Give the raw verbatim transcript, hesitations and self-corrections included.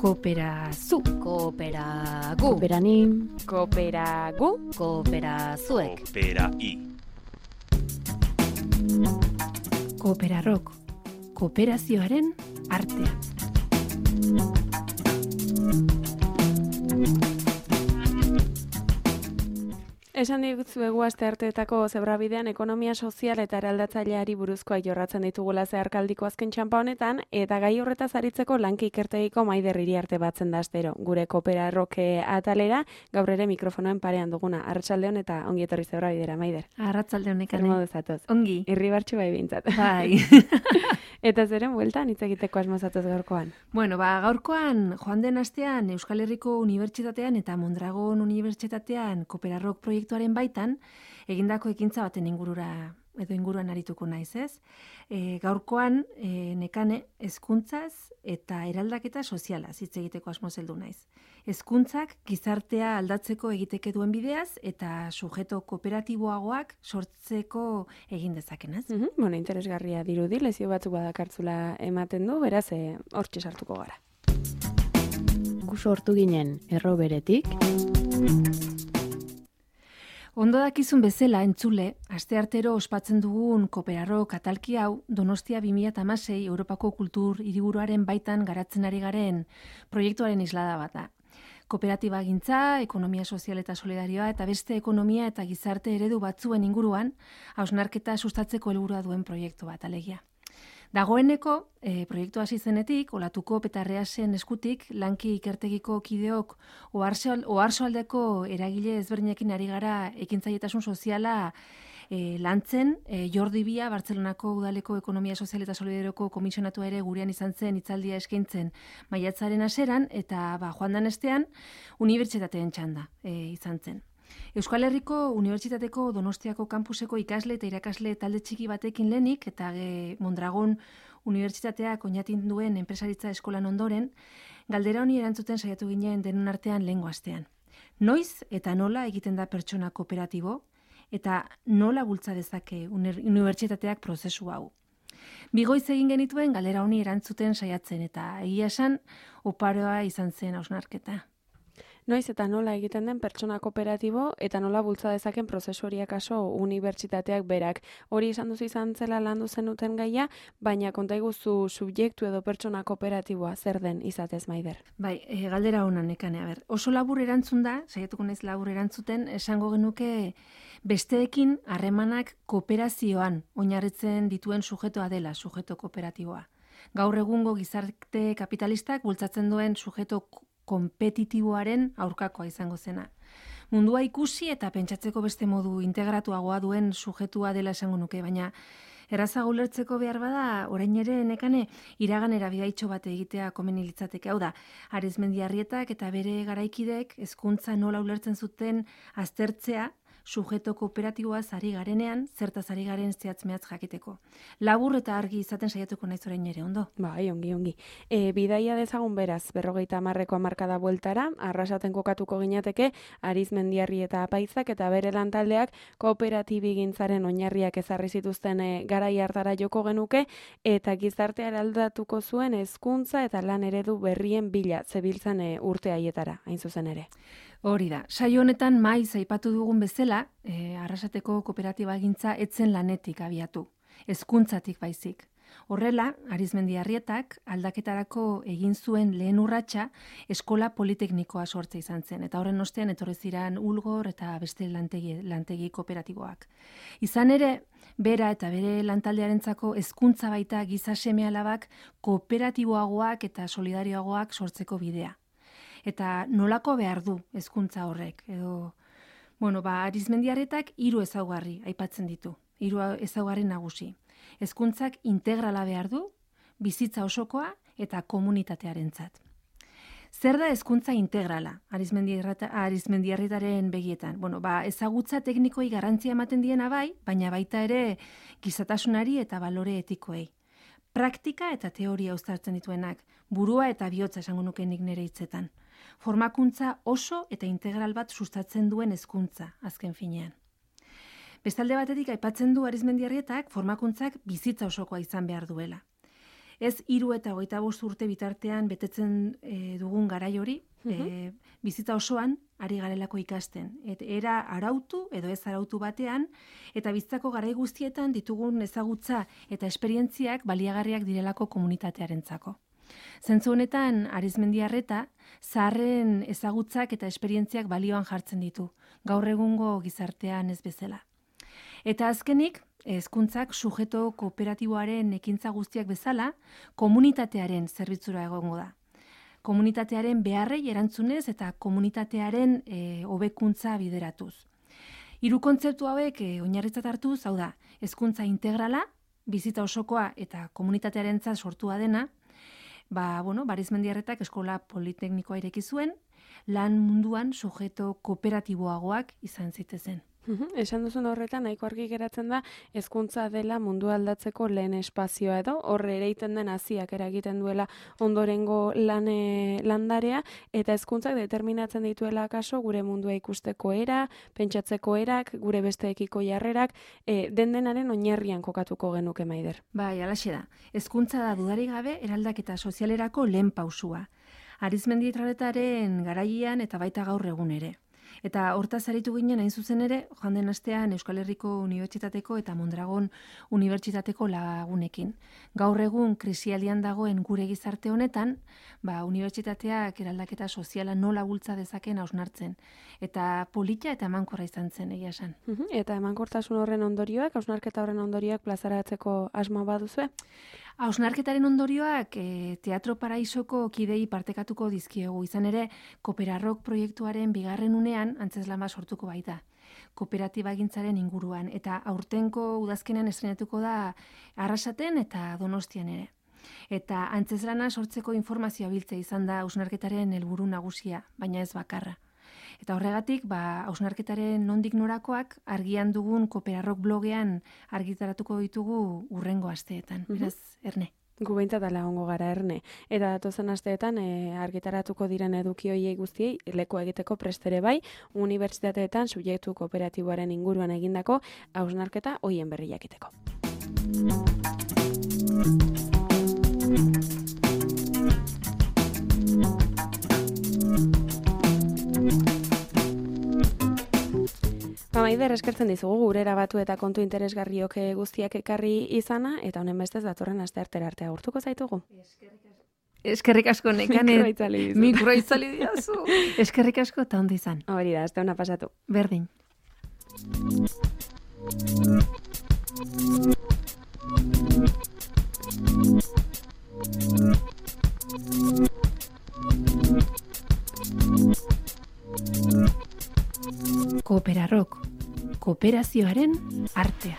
Kooperazu, Kooperagu, kooperanim, kooperagu, kooperazuek, Koopera-i. Kooperarok, kooperazioaren artea. Esan diguzuegu astearteetako zebrabidean ekonomia sozial eta eraldatzaileari buruzkoa jorratzen ditugula zeharkaldiko azken txanpa honetan, eta gai horretaz aritzeko lanki ikertegiko Maider Iriarte batzen da astero. Gure Kooperarroke atalera, gaur ere mikrofonoen parean duguna. Arratsaldeon eta ongi etorri zebrabidera, Maider. Arratsaldeon Zer nekane. modu zatoz? Ongi. Irribartxu bai bintzat. Bai. Eta zeren bueltan hitz egiteko asmozatuz gaurkoan. Bueno, ba, gaurkoan joan den astean Euskal Herriko Unibertsitatean eta Mondragon Unibertsitatean Kooperarrok proiektuaren baitan egindako ekintza baten ingurura edo inguruan arituko naiz, ez? E, gaurkoan e, nekane hezkuntzaz eta eraldaketa sozialaz hitz egiteko asmoz heldu naiz. Hezkuntzak gizartea aldatzeko egiteke duen bideaz eta sujeto kooperatiboagoak sortzeko egin dezakenaz. Mhm, bueno, interesgarria dirudi, lezio batzuk badakartzula ematen du, beraz, eh, hortxe sartuko gara. Gu sortu ginen erro beretik. Ondo dakizun bezala entzule, asteartero ospatzen dugun Kooperarrok atalki hau Donostia bi mila hamasei Europako Kultur Hiriburuaren baitan garatzen ari garen proiektuaren islada bat da. Kooperatibagintza, ekonomia sozial eta solidarioa eta beste ekonomia eta gizarte eredu batzuen inguruan hausnarketa sustatzeko helburua duen proiektu bat alegia. Dagoeneko, e, proiektu hasi zenetik, Olatuko Petarreasen eskutik, lanki ikertegiko kideok oharsoaldeko eragile ezberdinekin ari gara ekintzaietasun soziala e, lantzen, e, Jordi Bia, Bartzelonako Udaleko Ekonomia Sozial eta Solidarioko komisionatua ere gurean izan zen hitzaldia eskaintzen maiatzaren hasieran eta ba, joan dan estean unibertsitateen txanda e, izan zen. Euskal Herriko Unibertsitateko Donostiako kampuseko ikasle eta irakasle talde txiki batekin lehenik eta e, Mondragon Unibertsitateak oinatin duen enpresaritza eskolan ondoren, galdera honi erantzuten saiatu ginen denon artean lehengo astean. Noiz eta nola egiten da pertsona kooperatibo eta nola bultza dezake unibertsitateak prozesu hau. Bigoiz egin genituen galdera honi erantzuten saiatzen eta egia esan oparoa izan zen hausnarketa. Noiz eta nola egiten den pertsona kooperatibo eta nola bultza dezaken prozesu horiek kaso unibertsitateak berak. Hori esan duzu izan zela landu zenuten gaia, baina konta iguzu subjektu edo pertsona kooperatiboa zer den izatez, Maider. Bai, e, galdera honan nekane, a ber. Oso labur erantzun da, saiatuko naiz labur erantzuten, esango genuke besteekin harremanak kooperazioan oinarritzen dituen sujetoa dela, sujeto kooperatiboa. Gaur egungo gizarte kapitalistak bultzatzen duen sujeto kompetitiboaren aurkakoa izango zena. Mundua ikusi eta pentsatzeko beste modu integratuagoa duen sujetua dela esango nuke, baina errazago ulertzeko behar bada, orain ere nekane iraganera bidaitxo bat egitea komeni litzateke. Hau da, Arizmendiarrietak eta bere garaikidek hezkuntza nola ulertzen zuten aztertzea, sujeto kooperatiboaz ari garenean, zertaz ari garen zehatz-mehatz jakiteko. Labur eta argi izaten saiatuko naiz orain ere, ondo? Bai, ongi, ongi. E, bidaia dezagun beraz, berrogeita hamarreko hamarkada bueltara, arrasaten kokatuko ginateke, Arizmendiarri eta Apaizak eta bere lantaldeak kooperatibigintzaren oinarriak ezarri zituzten e, garai hartara joko genuke, eta gizartea eraldatuko zuen hezkuntza eta lan eredu berrien bila zebiltzan e, urte haietara, hain zuzen ere. Hori da, saio honetan maiz aipatu dugun bezala, e, arrasateko kooperatibagintza etzen lanetik abiatu, hezkuntzatik baizik. Horrela, Arizmendiarrietak aldaketarako egin zuen lehen urratsa eskola politeknikoa sortze izan zen, eta horren ostean etorri ziren Ulgor eta beste lantegi, lantegi kooperatiboak. Izan ere, bera eta bere lantaldearentzako hezkuntza baita giza seme-alabak kooperatiboagoak eta solidarioagoak sortzeko bidea. Eta nolako behar du hezkuntza horrek, edo, bueno, ba, Arizmendiarretak hiru ezaugarri aipatzen ditu, hiru ezaugarri nagusi. Hezkuntzak integrala behar du, bizitza osokoa eta komunitatearentzat. Zer da hezkuntza integrala, Arizmendiarretaren begietan? Bueno, ba, ezagutza teknikoi garrantzia ematen diena bai, baina baita ere gizatasunari eta balore etikoei. Praktika eta teoria uztartzen dituenak, burua eta bihotza esango nuke nik nire hitzetan. Formakuntza oso eta integral bat sustatzen duen hezkuntza, azken finean. Bestalde batetik aipatzen du Arizmendiarrietak formakuntzak bizitza osokoa izan behar duela. Ez hiru eta hogeita bost urte bitartean betetzen e, dugun garai hori, e, bizitza osoan ari garelako ikasten. Et era arautu edo ez arautu batean, eta bizitzako garai guztietan ditugun ezagutza eta esperientziak baliagarriak direlako komunitatearentzako. Zentzu honetan, Arizmendiarreta, zaharren ezagutzak eta esperientziak balioan jartzen ditu, gaur egungo gizartean ez bezala. Eta azkenik, hezkuntzak sujeto kooperatiboaren ekintza guztiak bezala, komunitatearen zerbitzura egongo da. Komunitatearen beharrei erantzunez eta komunitatearen e, hobekuntza bideratuz. Hiru kontzeptu hauek e, oinarritzat hartuz, hau da, hezkuntza integrala, bizitza osokoa eta komunitatearentzat sortua dena, ba, bueno, Arizmendiarretak eskola politeknikoa ireki zuen, lan munduan sujeto kooperatiboagoak izan zitezen. Uhum, esan duzun horretan, nahiko argi geratzen da, hezkuntza dela mundu aldatzeko lehen espazioa edo, horre ereiten den haziak eragiten duela ondorengo lane, landarea, eta hezkuntzak determinatzen dituela kaso gure mundua ikusteko era, pentsatzeko erak, gure besteekiko jarrerak, e, den denaren oinarrian kokatuko genuke Maider. Bai, alaxe da. Hezkuntza da dudarik gabe eraldaketa sozialerako lehen pausua. Arizmendiarretaren garaian eta baita gaur egun ere. Eta hortaz aritu ginen hain zuzen ere, joan den astean Euskal Herriko Unibertsitateko eta Mondragon Unibertsitateko lagunekin. Gaur egun krisialdian dagoen gure gizarte honetan, ba, unibertsitateak eraldaketa soziala nola bultza dezaken hausnartzen. Eta polita eta emankorra izan zen, egia esan. Uhum, eta emankortasun horren ondorioak, hausnarketa horren ondorioak plazaratzeko asma baduzue? Hausnarketaren ondorioak e, Teatro Paraisoko kidei partekatuko dizkiegu, izan ere Kooperarrok proiektuaren bigarren unean antzeslan bat sortuko baita. Kooperatiba gintzaren inguruan, eta aurtenko udazkenean estrenatuko da Arrasaten eta Donostian ere. Eta antzeslana sortzeko informazioa biltzea izan da hausnarketaren helburu nagusia, baina ez bakarra. Eta horregatik, ba, hausnarketaren nondik norakoak argian dugun Kooperarrok blogean argitaratuko ditugu urrengo asteetan. Beraz, Erne. Gu behintzat ala ongo gara, Erne. Eta datozen asteetan e, argitaratuko diren eduki horiei guztiei leku egiteko prestere bai, unibertsitateetan subjektu kooperatiboaren inguruan egindako hausnarketa hoien berri jakiteko. Maider, eskertzen dizugu gurera batu eta kontu interesgarriok guztiak ekarri izana, eta honen bestez datorren asteartera arte agurtuko zaitugu. Eskerrik asko Nekane. Mikroa itzali dizu. Mikroa itzali dizu. Eskerrik asko eta ondo izan. Hori da, aste hona pasatu. Berdin. Kooperarrok, kooperazioaren artea.